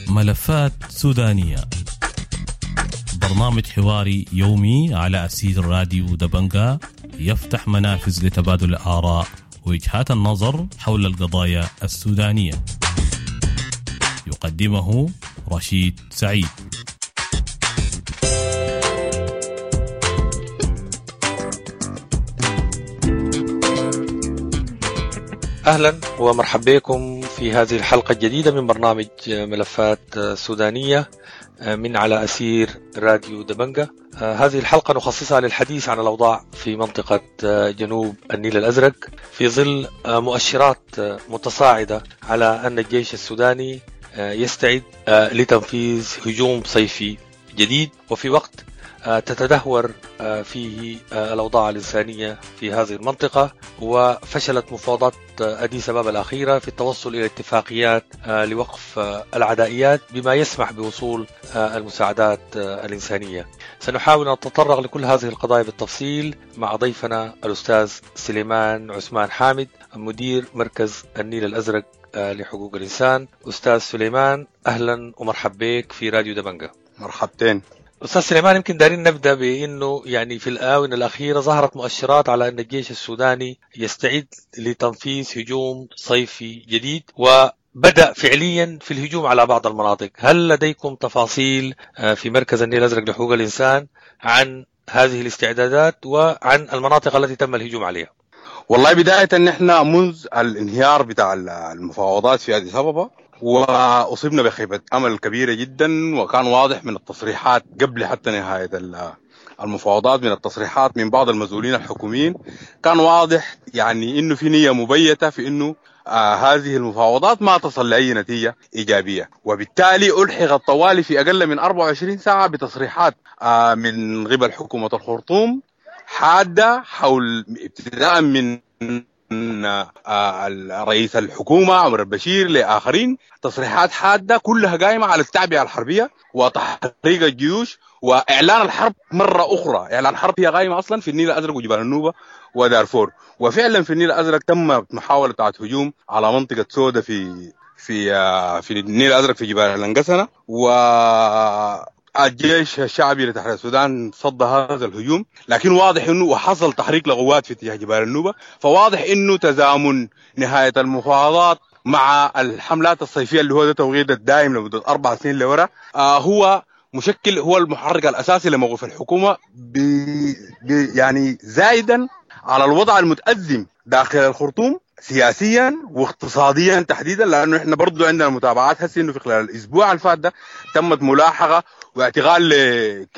ملفات سودانية، برنامج حواري يومي على أثير راديو دبنجا، يفتح منافذ لتبادل الآراء ووجهات النظر حول القضايا السودانية. يقدمه رشيد سعيد. أهلا ومرحبا بكم في هذه الحلقة الجديدة من برنامج ملفات سودانية من على أثير راديو دبنجا. هذه الحلقة نخصصها للحديث عن الأوضاع في منطقة جنوب النيل الأزرق في ظل مؤشرات متصاعدة على أن الجيش السوداني يستعد لتنفيذ هجوم صيفي جديد، وفي وقت تتدهور فيه الأوضاع الإنسانية في هذه المنطقة، وفشلت مفاوضات أديس أبابا الأخيرة في التوصل إلى اتفاقيات لوقف العدائيات بما يسمح بوصول المساعدات الإنسانية. سنحاول أن نتطرق لكل هذه القضايا بالتفصيل مع ضيفنا الأستاذ سليمان عثمان حامد، مدير مركز النيل الأزرق لحقوق الإنسان. أستاذ سليمان، أهلا ومرحبا بك في راديو دبنجا. مرحبتين أستاذ سليمان. يمكن دارين نبدأ بأنه يعني في الآونة الأخيرة ظهرت مؤشرات على أن الجيش السوداني يستعد لتنفيذ هجوم صيفي جديد، وبدأ فعليا في الهجوم على بعض المناطق. هل لديكم تفاصيل في مركز النيل الأزرق لحقوق الإنسان عن هذه الاستعدادات وعن المناطق التي تم الهجوم عليها؟ والله بداية نحن منذ الانهيار بتاع المفاوضات في أديس أبابا وأصبنا بخيبة أمل كبيرة جدا، وكان واضح من التصريحات قبل حتى نهاية المفاوضات، من التصريحات من بعض المسؤولين الحكوميين، كان واضح يعني إنه في نية مبيتة في إنه هذه المفاوضات ما تصل لأي نتيجة إيجابية، وبالتالي ألحق الطوالي في أقل من 24 ساعة بتصريحات من قبل حكومة الخرطوم حادة حول ابتداء من رئيس الحكومة عمر البشير لآخرين، تصريحات حادة كلها قائمة على التعبئة الحربية وتحريك الجيوش وإعلان الحرب مرة أخرى. إعلان الحرب هي قائمة أصلا في النيل الأزرق وجبال النوبة ودارفور، وفعلا في النيل الأزرق تم محاولة هجوم على منطقة سودة في في في النيل الأزرق في جبال الأنقسنة، و الجيش الشعبي لتحرير السودان صد هذا الهجوم، لكن واضح انه وحصل تحريك لقوات في اتجاه جبال النوبة، فواضح انه تزامن نهاية المفاوضات مع الحملات الصيفية اللي هو ده توقيت الدائم لمدة 4 سنين لورا هو مشكل، هو المحرك الاساسي لموقف الحكومة يعني زايدا على الوضع المتأزم داخل الخرطوم سياسيا واقتصاديا تحديدا، لانه احنا برضو عندنا متابعات هسه انه في خلال الاسبوع الفات ده تمت ملاحقه واعتقال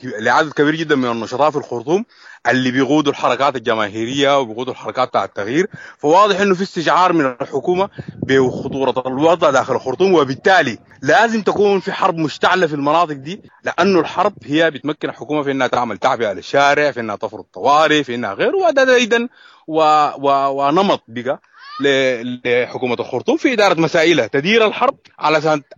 لعدد كبير جدا من النشطاء في الخرطوم اللي بيقودوا الحركات الجماهيرية وبيقودوا الحركات بتاع التغيير. فواضح انه في استشعار من الحكومة بخطورة الوضع داخل الخرطوم، وبالتالي لازم تكون في حرب مشتعلة في المناطق دي، لانه الحرب هي بتمكن الحكومة في انها تعمل تعبئة للشارع، في انها تفرض طوارئ، في انها غيره، وهذا ايضا ونمط بقى لحكومة الخرطوم في إدارة مسائلها، تدير الحرب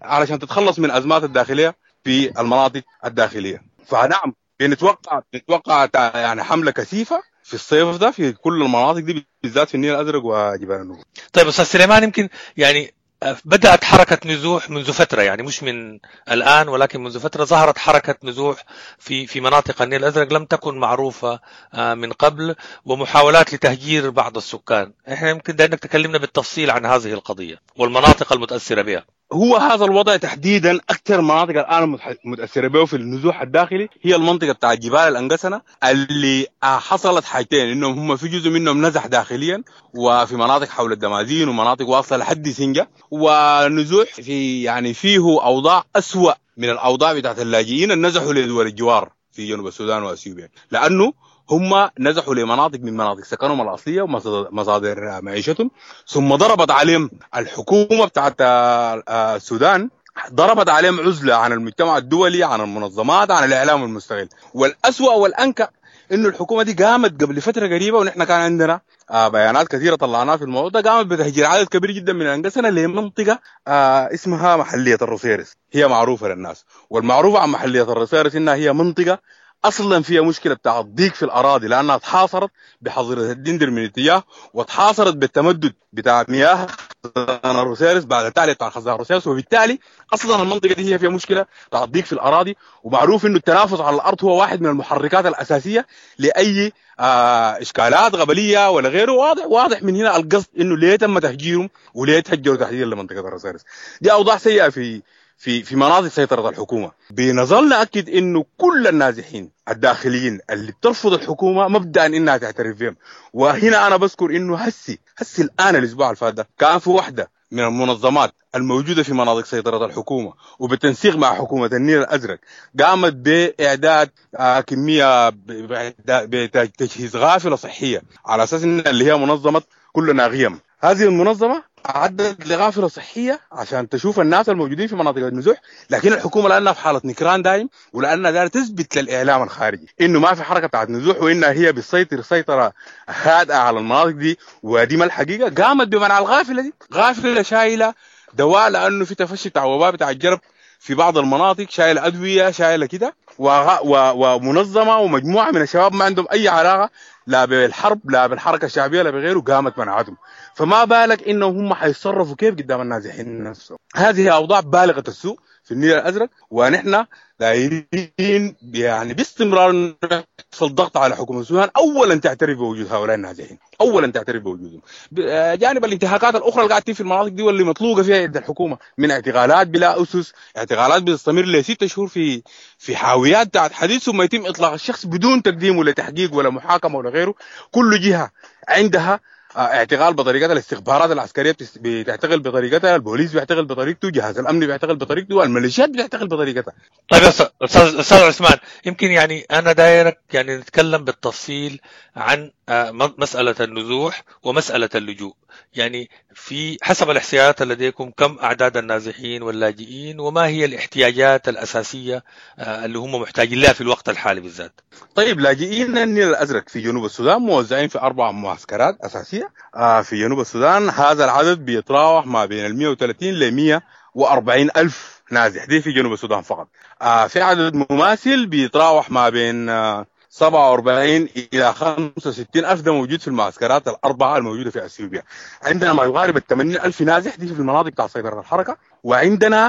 علشان تتخلص من أزمات الداخلية في المناطق الداخلية. فنعم بنتوقع يعني حملة كثيفة في الصيف ده في كل المناطق دي، بالذات في النيل الأزرق وجبال النوبة. طيب أستاذ سليمان، يمكن يعني بدأت حركة نزوح منذ فترة، يعني مش من الآن ولكن منذ فترة ظهرت حركة نزوح في مناطق النيل الأزرق لم تكن معروفة من قبل، ومحاولات لتهجير بعض السكان. احنا يمكن انك تكلمنا بالتفصيل عن هذه القضية والمناطق المتأثرة بها. هو هذا الوضع تحديدا أكثر مناطق الآن متأثرة به في النزوح الداخلي هي المنطقة بتاع جبال الأنقسنة، اللي حصلت حاجتين، إنهم هم في جزء منهم نزح داخليا وفي مناطق حول الدمازين ومناطق واصلة لحد سنجة، ونزوح في يعني فيه أوضاع أسوأ من الأوضاع بتاعت اللاجئين اللي نزحوا لدول الجوار في جنوب السودان وأثيوبيا، لأنه هم نزحوا لمناطق من مناطق سكنهم الأصلية ومصادر معيشتهم، ثم ضربت عليهم الحكومة بتاعت السودان، ضربت عليهم عزلة عن المجتمع الدولي، عن المنظمات، عن الإعلام المستقل. والأسوأ والأنكأ إنه الحكومة دي قامت قبل فترة قريبة، ونحن كان عندنا بيانات كثيرة طلعناها في الموضوع ده، قامت بتهجير عدد كبير جدا من الأنقسنة لمنطقة اسمها محلية الرصيرس، هي معروفة للناس، والمعروفة عن محلية الرصيرس إنها هي منطقة اصلا فيها مشكلة بتاع الضيق في الاراضي، لانها تحاصرت بحظيره الدندر من اتجاه، وتحاصرت بالتمدد بتاع مياه خزان الروسيرس بعد التعلية بتاع خزان الروسيرس، وبالتالي اصلا المنطقة دي هي فيها مشكلة بتاع الضيق في الاراضي. ومعروف انه التنافس على الارض هو واحد من المحركات الاساسية لاي اشكالات قبليه ولا غيره. واضح من هنا القصد انه ليه تم تهجيرهم وليه تهجروا تحديدا لمنطقه الروسيرس. دي اوضاع سيئه في في في مناطق سيطرة الحكومة. بنظل نأكد انه كل النازحين الداخليين اللي بترفض الحكومة مبدأ انها تعترف بهم. وهنا انا بذكر انه هسي الان الاسبوع الفات ده كان في واحدة من المنظمات الموجودة في مناطق سيطرة الحكومة وبالتنسيق مع حكومة النيل الأزرق قامت بإعداد كمية بتجهيز غافلة صحية على أساس إن اللي هي منظمة كلنا غيم. هذه المنظمة عدت لغافلة صحية عشان تشوف الناس الموجودين في مناطق النزوح، لكن الحكومة لأنها في حالة نكران دائم ولأنها دايرة تثبت للإعلام الخارجي إنه ما في حركة بتاعت نزوح وإنها هي بتسيطر سيطرة هادئة على المناطق دي، ودي ما الحقيقة. قامت بمنع الغافلة دي، غافلة شايلة دواء لأنه في تفشي بتاع وباء بتاع الجرب في بعض المناطق، شايلة أدوية شايلة كده، ومنظمة ومجموعة من الشباب ما عندهم أي علاقة لا بالحرب لا بالحركة الشعبية لا بغيره، قامت منعتهم. فما بالك إنهم هم حيتصرفوا كيف قدام النازحين نفسهم. هذه أوضاع بالغة السوء في النيل الأزرق، ونحن دايرين يعني باستمرار نحصل ضغط على حكومة السودان أولا تعترف بوجود هؤلاء النازحين، أولا تعترف بوجودهم. جانب الانتهاكات الأخرى اللي قاعدة في المناطق دي واللي مطلوقة فيها يد الحكومة من اعتقالات بلا أسس، اعتقالات بتستمر ل6 شهور في حاويات بتاعت حديث، ثم يتم إطلاق الشخص بدون تقديمه لتحقيق ولا محاكمة ولا غيره. كل جهة عندها اعتقال بطريقتها، الاستخبارات العسكرية بتعتقل بطريقتها، البوليس بيعتقل بطريقته، جهاز الامن بيعتقل بطريقته، الميليشيات بتعتقل بطريقتها. طيب استاذ عثمان، يمكن يعني انا دايرك يعني نتكلم بالتفصيل عن مسالة النزوح ومسالة اللجوء. يعني في حسب الاحصائيات لديكم كم اعداد النازحين واللاجئين، وما هي الاحتياجات الاساسية اللي هم محتاجين لها في الوقت الحالي بالذات؟ طيب، لاجئين النيل الازرق في جنوب السودان موزعين في 4 معسكرات اساسية في جنوب السودان. هذا العدد بيتراوح ما بين 130 ل 140 ألف نازح، دي في جنوب السودان فقط. في عدد مماثل بيتراوح ما بين 47 إلى 65 ألف، ده موجود في المعسكرات الأربعة الموجودة في أثيوبيا. عندنا ما يقارب 80 ألف نازح دي في المناطق تاع سيطرة الحركة. وعندنا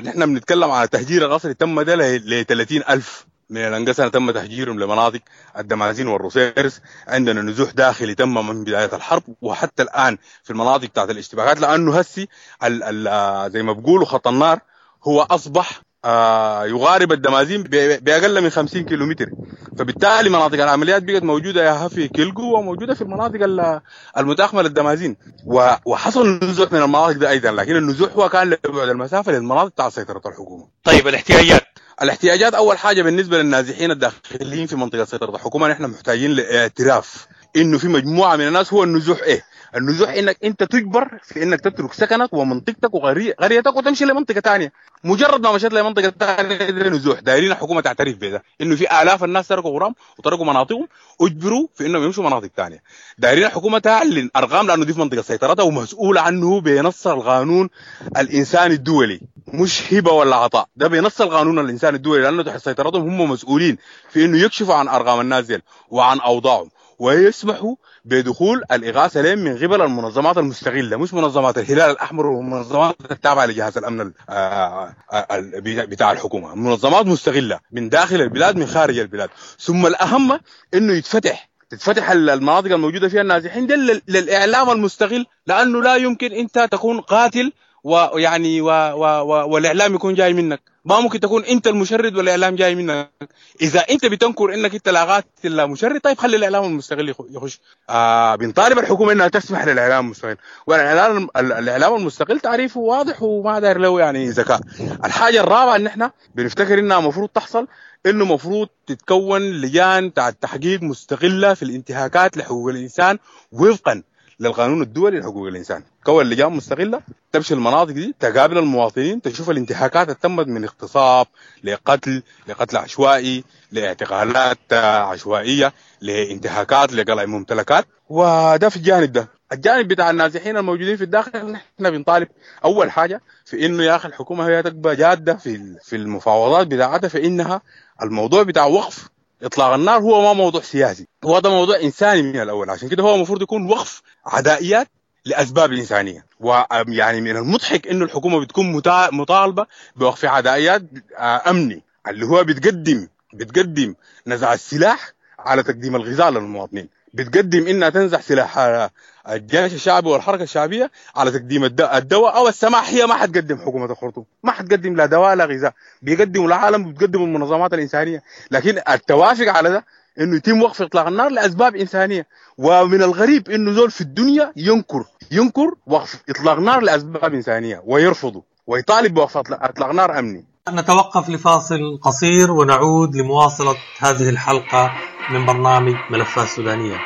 نحن بنتكلم على تهجير القسري تم ده ل 30 ألف من الأنقسنا تم تهجيرهم لمناطق الدمازين والروسيرس. عندنا نزوح داخلي تم من بداية الحرب وحتى الآن في المناطق بتاعت الاشتباكات، لأنه هسي زي ما بيقولوا خط النار هو أصبح يغارب الدمازين بأقل من 50 كيلومتر، فبالتالي مناطق العمليات بقت موجودة يا في كيلجو وموجودة في المناطق المتاخمة للدمازين، وحصل نزوح من المناطق دي أيضا، لكن النزوح هو كان لبعد المسافة للمناطق بتاع سيطرة الحكومة. طيب الاحتياجات أول حاجة بالنسبة للنازحين الداخليين في منطقة سيطرة الحكومة، نحن محتاجين لاعتراف إنه في مجموعة من الناس. هو النزوح إيه؟ النزوح إنك أنت تجبر في إنك تترك سكنك ومنطقتك وقريتك وتمشي لمنطقة تانية. مجرد ما مشيت لمنطقة تانية ده نزوح. دايرين الحكومة تعترف بده، إنه في آلاف الناس تركوا غرام وتركوا مناطقهم أجبروا في إنهم يمشوا مناطق تانية. دايرين الحكومة تعلن أرقام لأنه دي في منطقة سيطرتها ومسؤولة عنه بنص القانون الإنساني الدولي، مش هبة ولا عطاء، ده بنص القانون الإنساني الدولي، لأنه تحت سيطرتهم هم مسؤولين في إنه يكشفوا عن أرقام الناس ديل وعن أوضاعهم ويسمحوا بدخول الإغاثة لهم من قبل المنظمات المستغلة، مش منظمات الهلال الأحمر والمنظمات التابعة لجهاز الأمن بتاع الحكومة، منظمات مستغلة من داخل البلاد من خارج البلاد. ثم الأهم إنه تتفتح المناطق الموجودة فيها النازحين دي للإعلام المستغل، لأنه لا يمكن أنت تكون قاتل ويعني والإعلام يكون جاي منك. ما ممكن تكون انت المشرد والاعلام جاي منك. اذا انت بتنكر انك انت لا قاتل لا مشرد، طيب خلي الاعلام المستغل يخش. بنطالب الحكومة انها تسمح للاعلام المستغل، والاعلام الاعلام المستغل تعريفه واضح وما داير له يعني ذكاء. الحاجة الرابعة ان احنا بنفتكر انها المفروض تحصل، انه مفروض تتكون لجان تاع التحقيق مستغله في الانتهاكات لحقوق الانسان وفقا للقانون الدولي لحقوق الانسان. كون لجان مستغله تمشي المناطق دي، تقابل المواطنين، تشوف الانتهاكات اللي تمت من اغتصاب لقتل، لقتل عشوائي، لاعتقالات عشوائية، لانتهاكات، لقلع ممتلكات. وده في الجانب ده. الجانب بتاع النازحين الموجودين في الداخل، نحن بنطالب اول حاجة في انه يا اخي الحكومة هي تبقى جاده في المفاوضات بتاعتها، في انها الموضوع بتاع وقف اطلاق النار هو ما موضوع سياسي، هو ده موضوع انساني من الاول. عشان كده هو المفروض يكون وقف عدائيات لاسباب انسانيه. ويعني من المضحك انه الحكومة بتكون مطالبه بوقف عدائيات امني، اللي هو بتقدم نزع السلاح على تقديم الغذاء للمواطنين، بتقدم انها تنزع سلاح الجيش الشعبي والحركة الشعبية على تقديم الدواء او السماح. هي ما حتقدم، حكومة الخرطوم ما حتقدم لا دواء لا غذاء، بيقدموا العالم وبتقدموا المنظمات الانسانية. لكن التوافق على ده انه يتم وقف اطلاق النار لاسباب انسانيه. ومن الغريب انه زول في الدنيا ينكر وقف اطلاق نار لاسباب انسانيه ويرفضه ويطالب بوقف اطلاق نار امني. نتوقف لفاصل قصير ونعود لمواصلة هذه الحلقة من برنامج ملفات سودانية.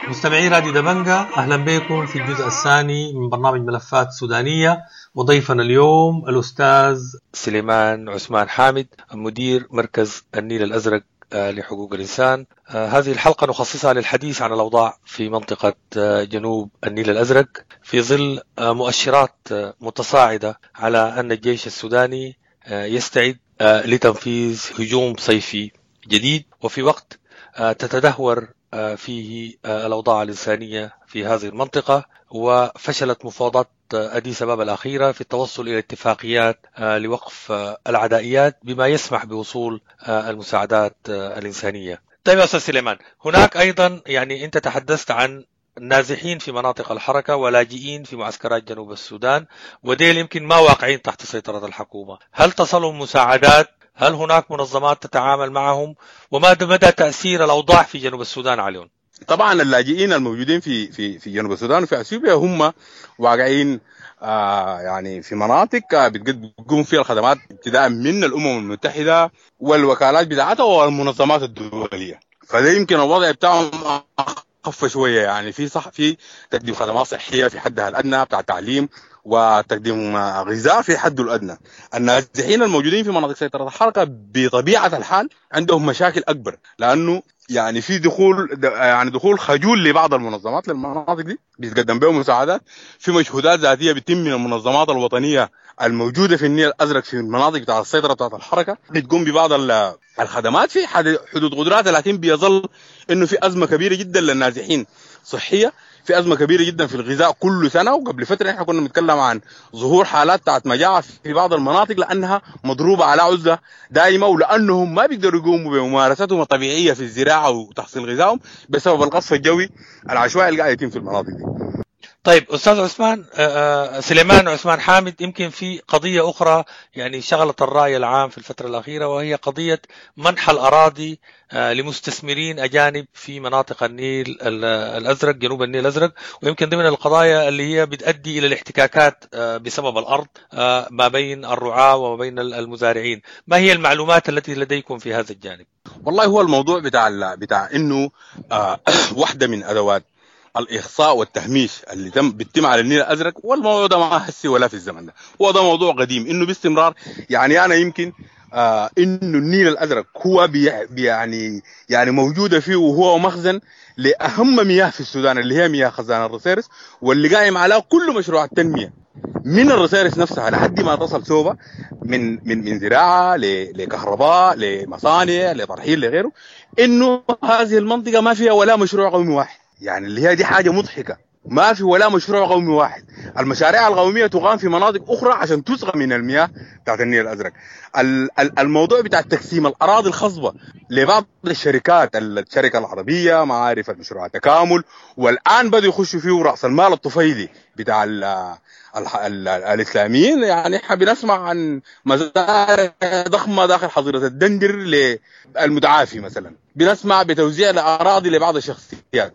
مستمعي راديو دبنجة، أهلا بكم في الجزء الثاني من برنامج ملفات سودانية، وضيفنا اليوم الأستاذ سليمان عثمان حامد، مدير مركز النيل الأزرق لحقوق الإنسان. هذه الحلقة نخصصها للحديث عن الأوضاع في منطقة جنوب النيل الأزرق في ظل مؤشرات متصاعدة على أن الجيش السوداني يستعد لتنفيذ هجوم صيفي جديد، وفي وقت تتدهور فيه الأوضاع الإنسانية في هذه المنطقة، وفشلت مفاوضات أديس أبابا الأخيرة في التوصل إلى اتفاقيات لوقف العدائيات بما يسمح بوصول المساعدات الإنسانية. طيب يا أستاذ سليمان، هناك أيضا يعني أنت تحدثت عن نازحين في مناطق الحركة ولاجئين في معسكرات جنوب السودان، وديل يمكن ما واقعين تحت سيطرة الحكومة. هل تصلهم مساعدات؟ هل هناك منظمات تتعامل معهم؟ وما مدى تأثير الأوضاع في جنوب السودان عليهم؟ طبعا اللاجئين الموجودين في في في جنوب السودان وفي اثيوبيا هم واقعين يعني في مناطق بتقوم فيها الخدمات ابتداء من الامم المتحدة والوكالات بتاعتها والمنظمات الدولية، فده يمكن الوضع بتاعهم اخف شوية. يعني في صح في تقديم خدمات صحية في حدها الادنى بتاع تعليم وتقديم غذاء في حده الادنى. النازحين الموجودين في مناطق سيطرة الحركة بطبيعة الحال عندهم مشاكل اكبر، لانه يعني في دخول، يعني دخول خجول لبعض المنظمات للمناطق دي بيتقدم بهم مساعدات، في مجهودات ذاتية بتتم من المنظمات الوطنية الموجودة في النيل الازرق في المناطق بتاع السيطرة بتاعت الحركة، بتقوم ببعض الخدمات في حدود قدراتها، لكن بيظل انه في ازمة كبيرة جدا للنازحين صحية، في ازمة كبيرة جدا في الغذاء كل سنة. وقبل فترة احنا كنا بنتكلم عن ظهور حالات بتاعت مجاعة في بعض المناطق لانها مضروبة على عزله دائمة، ولانهم ما بيقدروا يقوموا بممارستهم الطبيعية في الزراعة وتحصيل غذائهم بسبب القصف الجوي العشوائي اللي قاعد يتم في المناطق دي. طيب أستاذ عثمان سليمان عثمان حامد، يمكن في قضية أخرى يعني شغلت الرأي العام في الفترة الأخيرة، وهي قضية منح الأراضي لمستثمرين أجانب في مناطق النيل الأزرق، جنوب النيل الأزرق، ويمكن ضمن القضايا اللي هي بتؤدي إلى الاحتكاكات بسبب الأرض ما بين الرعاة وما بين المزارعين. ما هي المعلومات التي لديكم في هذا الجانب؟ والله هو الموضوع بتاع إنه واحدة من أدوات الإخصاء والتهميش اللي بيتم على النيل الأزرق، والموضوع ده ما هسي ولا في الزمن ده، هو ده موضوع قديم إنه باستمرار. يعني أنا يمكن إنه النيل الأزرق هو يعني موجودة فيه، وهو مخزن لأهم مياه في السودان اللي هي مياه خزان الرصيرس، واللي قايم على كل مشروع التنمية من الرصيرس نفسها لحد ما تصل سوبا من من من زراعة لكهرباء لمصانع لترحيل لغيره. إنه هذه المنطقة ما فيها ولا مشروع قومي واحد، يعني اللي هي دي حاجة مضحكة، ما في ولا مشروع قومي واحد. المشاريع القومية تقام في مناطق أخرى عشان تسقى من المياه بتاعت النيل الأزرق. الموضوع بتاع تقسيم الأراضي الخصبة لبعض الشركات، الشركة العربية معارف المشروع التكامل، والآن بدأوا يخشوا فيه رأس المال الطفيلي بتاع ال ال ال الإسلاميين. يعني احنا بنسمع عن مزارع ضخمة داخل حظيرة الدندر للمتعافي مثلا، بنسمع بتوزيع الأراضي لبعض الشخصيات.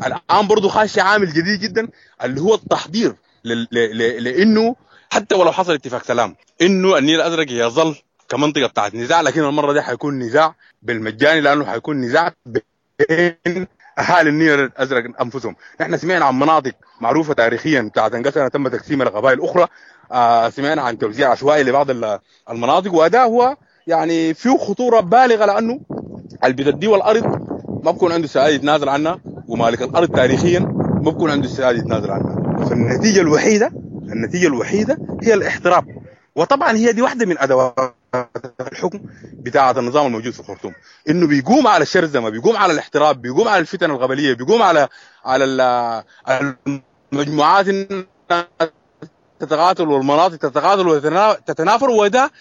الآن برضو خاش عامل جديد جدا اللي هو التحضير لأنه حتى ولو حصل اتفاق سلام إنه النيل الأزرق يظل كمنطقة بتاعت نزاع، لكن المرة دي حيكون نزاع بالمجاني، لأنه حيكون نزاع بين أهالي النيل الأزرق أنفسهم. نحن سمعنا عن مناطق معروفة تاريخيا بتاعت انقسمت تم تقسيمها لقبائل أخرى، سمعنا عن توزيع عشوائي لبعض المناطق، وهذا هو يعني فيه خطورة بالغة، لأنه اللي بتديه الأرض ما بكون عنده سعادة يتنازل عنها، ومالك الأرض تاريخيا ما بكون عنده استعداد يتنازل عنها. فالنتيجة الوحيدة هي الاحتراب. وطبعا هي دي واحدة من أدوات الحكم بتاعة النظام الموجود في الخرطوم، إنه بيقوم على الشرذمة، بيقوم على الاحتراب، بيقوم على الفتن القبلية، بيقوم على المجموعات تتقاتل والمناطق تتقاتل وتتنافر، وده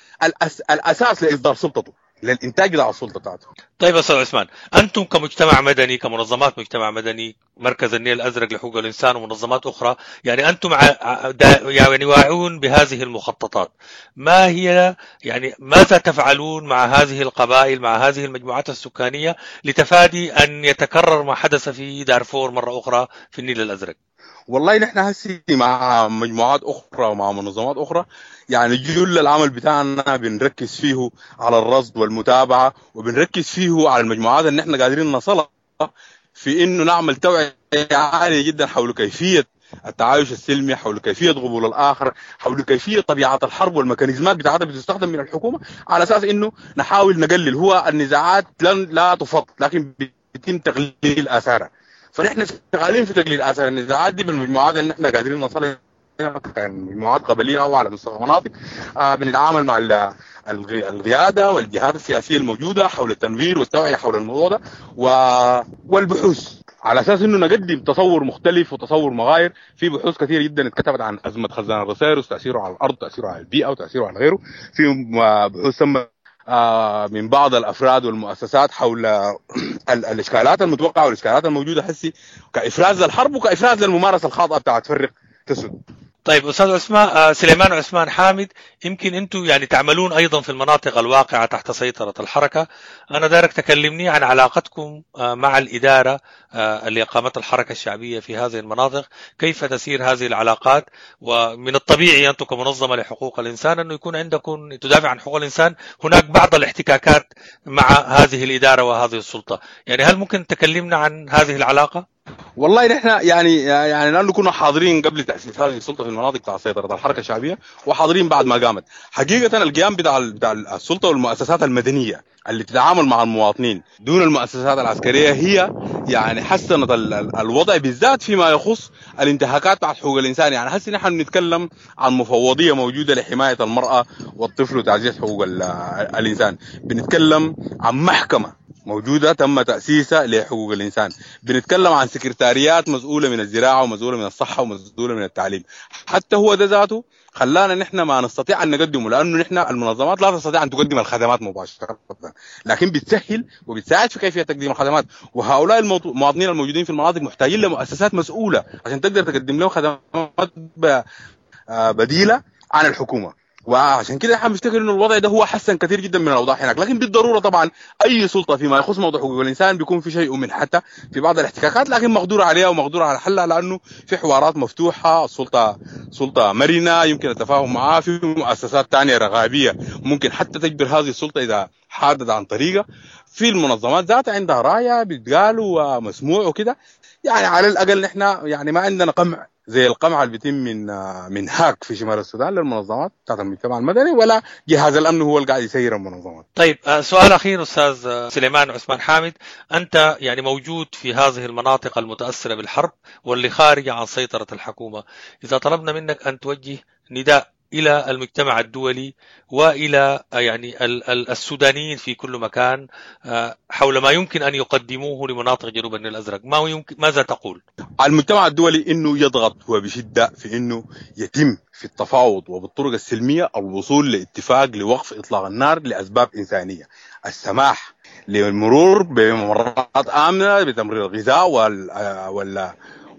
الأساس لإصدار سلطته، للإنتاج بتاع السلطة بتاعته. طيب أستاذ عثمان، أنتم كمجتمع مدني، كمنظمات مجتمع مدني، مركز النيل الأزرق لحقوق الإنسان ومنظمات أخرى، يعني أنتم يعني واعون بهذه المخططات، ما هي يعني ماذا تفعلون مع هذه القبائل، مع هذه المجموعات السكانية لتفادي أن يتكرر ما حدث في دارفور مرة أخرى في النيل الأزرق؟ والله نحن هسي مع مجموعات أخرى ومع منظمات أخرى، يعني جل العمل بتاعنا بنركز فيه على الرصد والمتابعة، وبنركز فيه على المجموعات اللي نحن قادرين نصلها في إنه نعمل توعية عالية جدا حول كيفية التعايش السلمي، حول كيفية قبول الآخر، حول كيفية طبيعة الحرب والميكانيزمات بتاعتها بتستخدم من الحكومة، على أساس إنه نحاول نقلل. هو النزاعات لا تفض، لكن بيتم تقليل آثارها. فنحن شغالين في تقليل آثار النزاعات دي بالمجموعات اللي نحن قادرين نصلها، كان مجموعات قبلية أو على مستوى مناطق. بنتعامل مع القيادة والجهات السياسية الموجودة حول التنوير والتوعية حول الموضوع ده والبحوث، على أساس إنه نقدم تصور مختلف وتصور مغاير. في بحوث كثيرة جدا اتكتبت عن أزمة خزان الرصيرس، تأثيره على الأرض، تأثيره على البيئة، وتأثيره على غيره. في بحوث تم من بعض الافراد والمؤسسات حول الاشكالات المتوقعة والاشكالات الموجودة حسي كافراز للحرب وكافراز للممارسة الخاطئة بتاعت فرق تسد. طيب استاذ عثمان سليمان عثمان حامد، يمكن انتم يعني تعملون ايضا في المناطق الواقعة تحت سيطرة الحركة، انا دارك تكلمني عن علاقتكم مع الادارة اللي اقامت الحركة الشعبية في هذه المناطق، كيف تسير هذه العلاقات؟ ومن الطبيعي انتم كمنظمه لحقوق الانسان انه يكون عندكم تدافع عن حقوق الانسان، هناك بعض الاحتكاكات مع هذه الادارة وهذه السلطة، يعني هل ممكن تكلمنا عن هذه العلاقة؟ والله نحن يعني لانه كنا حاضرين قبل تاسيس هذه السلطة في المناطق بتاع سيطرة الحركة الشعبية، وحاضرين بعد ما قامت. حقيقة القيام بتاع السلطة والمؤسسات المدنية اللي تتعامل مع المواطنين دون المؤسسات العسكرية هي يعني حسنت الوضع، بالذات فيما يخص الانتهاكات بتاعت حقوق الانسان. يعني هسه نحن بنتكلم عن مفوضيه موجودة لحماية المراة والطفل وتعزيز حقوق الانسان، بنتكلم عن محكمة موجودة تم تأسيسها لحقوق الإنسان، بنتكلم عن سكرتاريات مسؤولة من الزراعة ومسؤولة من الصحة ومسؤولة من التعليم. حتى هو ده ذاته خلانا نحن ما نستطيع أن نقدمه، لأنه نحن المنظمات لا تستطيع أن تقدم الخدمات مباشرة، لكن بتسهل وبتساعد في كيفية تقديم الخدمات. وهؤلاء المواطنين الموجودين في المناطق محتاجين لمؤسسات مسؤولة عشان تقدر تقدم لهم خدمات بديلة عن الحكومة. وعشان كده احنا بنفتكر انه الوضع ده هو حسن كثير جدا من الاوضاع هناك. لكن بالضرورة طبعا اي سلطة فيما يخص موضوع حقوق الانسان بيكون في شيء من حتى في بعض الاحتكاكات، لكن مقدور عليها ومقدور على حلها، لانه في حوارات مفتوحة، السلطة سلطة مرنه يمكن التفاهم معها، في مؤسسات ثانية رقابية ممكن حتى تجبر هذه السلطة اذا حادت عن طريقه، في المنظمات ذاتها عندها رايه بتقال ومسموع وكده. يعني على الاقل نحن يعني ما عندنا قمع زي القمع اللي بيتم من هاك في شمال السودان للمنظمات بتاعت المجتمع المدني، ولا جهاز الامن هو اللي قاعد يسير المنظمات. طيب سؤال اخير استاذ سليمان عثمان حامد، انت يعني موجود في هذه المناطق المتاثرة بالحرب واللي خارجه عن سيطرة الحكومة، اذا طلبنا منك ان توجه نداء الى المجتمع الدولي والى يعني السودانيين في كل مكان حول ما يمكن ان يقدموه لمناطق جنوب النيل الازرق، ما يمكن، ماذا تقول؟ على المجتمع الدولي انه يضغط وبشدة في انه يتم في التفاوض وبالطرق السلمية الوصول لاتفاق لوقف اطلاق النار لاسباب انسانيه، السماح للمرور بممرات امنه بتمرير الغذاء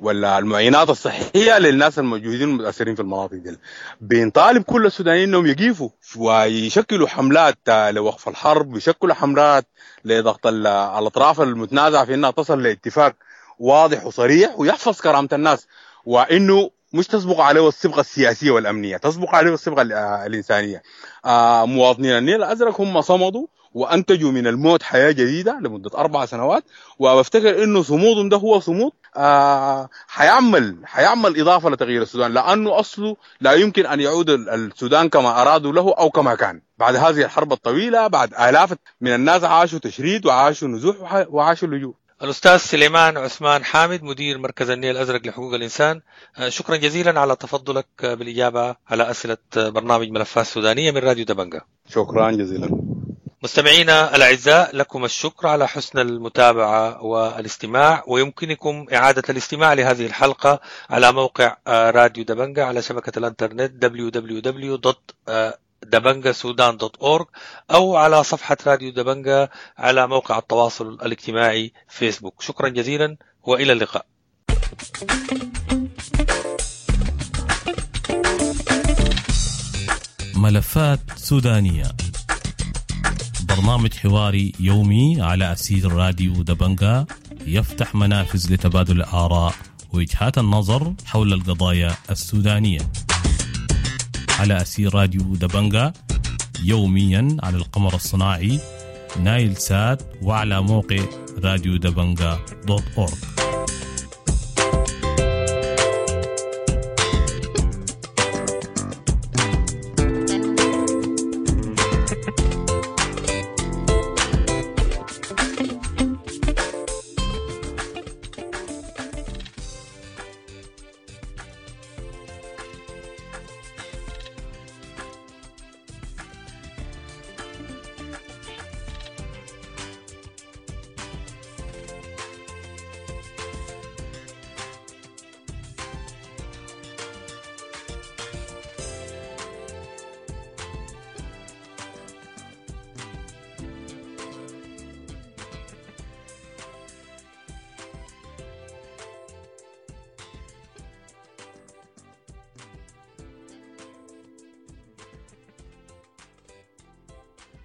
ولا المعينات الصحية للناس الموجودين المتاثرين في المناطق دي. بنطالب كل السودانيين انهم يقيفوا ويشكلوا حملات لوقف الحرب، ويشكلوا حملات لضغط الاطراف المتنازعه في انها تصل لاتفاق واضح وصريح ويحفظ كرامة الناس، وانه مش تسبق عليه الصبغه السياسية والامنية، تسبق عليه الصبغه الانسانية. مواطنين النيل الازرق هم صمدوا وانتجوا من الموت حياة جديدة لمدة 4 سنوات، وبفتكر انه صمودهم ده هو صمود حيعمل اضافه لتغيير السودان، لانه اصله لا يمكن ان يعود السودان كما ارادوا له او كما كان بعد هذه الحرب الطويلة، بعد الاف من الناس عاشوا تشريد وعاشوا نزوح وعاشوا لجوء. الأستاذ سليمان عثمان حامد مدير مركز النيل الأزرق لحقوق الإنسان، شكرا جزيلا على تفضلك بالإجابة على أسئلة برنامج ملفات سودانية من راديو دبنجة. شكرا جزيلا. مستمعينا الأعزاء، لكم الشكر على حسن المتابعة والاستماع، ويمكنكم إعادة الاستماع لهذه الحلقة على موقع راديو دبنجة على شبكة الإنترنت www.dabangasudan.org أو على صفحة راديو دبنجة على موقع التواصل الاجتماعي فيسبوك. شكرا جزيلا وإلى اللقاء. ملفات سودانية، برنامج حواري يومي على أثير راديو دبنجة، يفتح منافذ لتبادل الآراء ووجهات النظر حول القضايا السودانية على أثير راديو دبنجة يوميا على القمر الصناعي نايل سات وعلى موقع راديو دبنجة .org.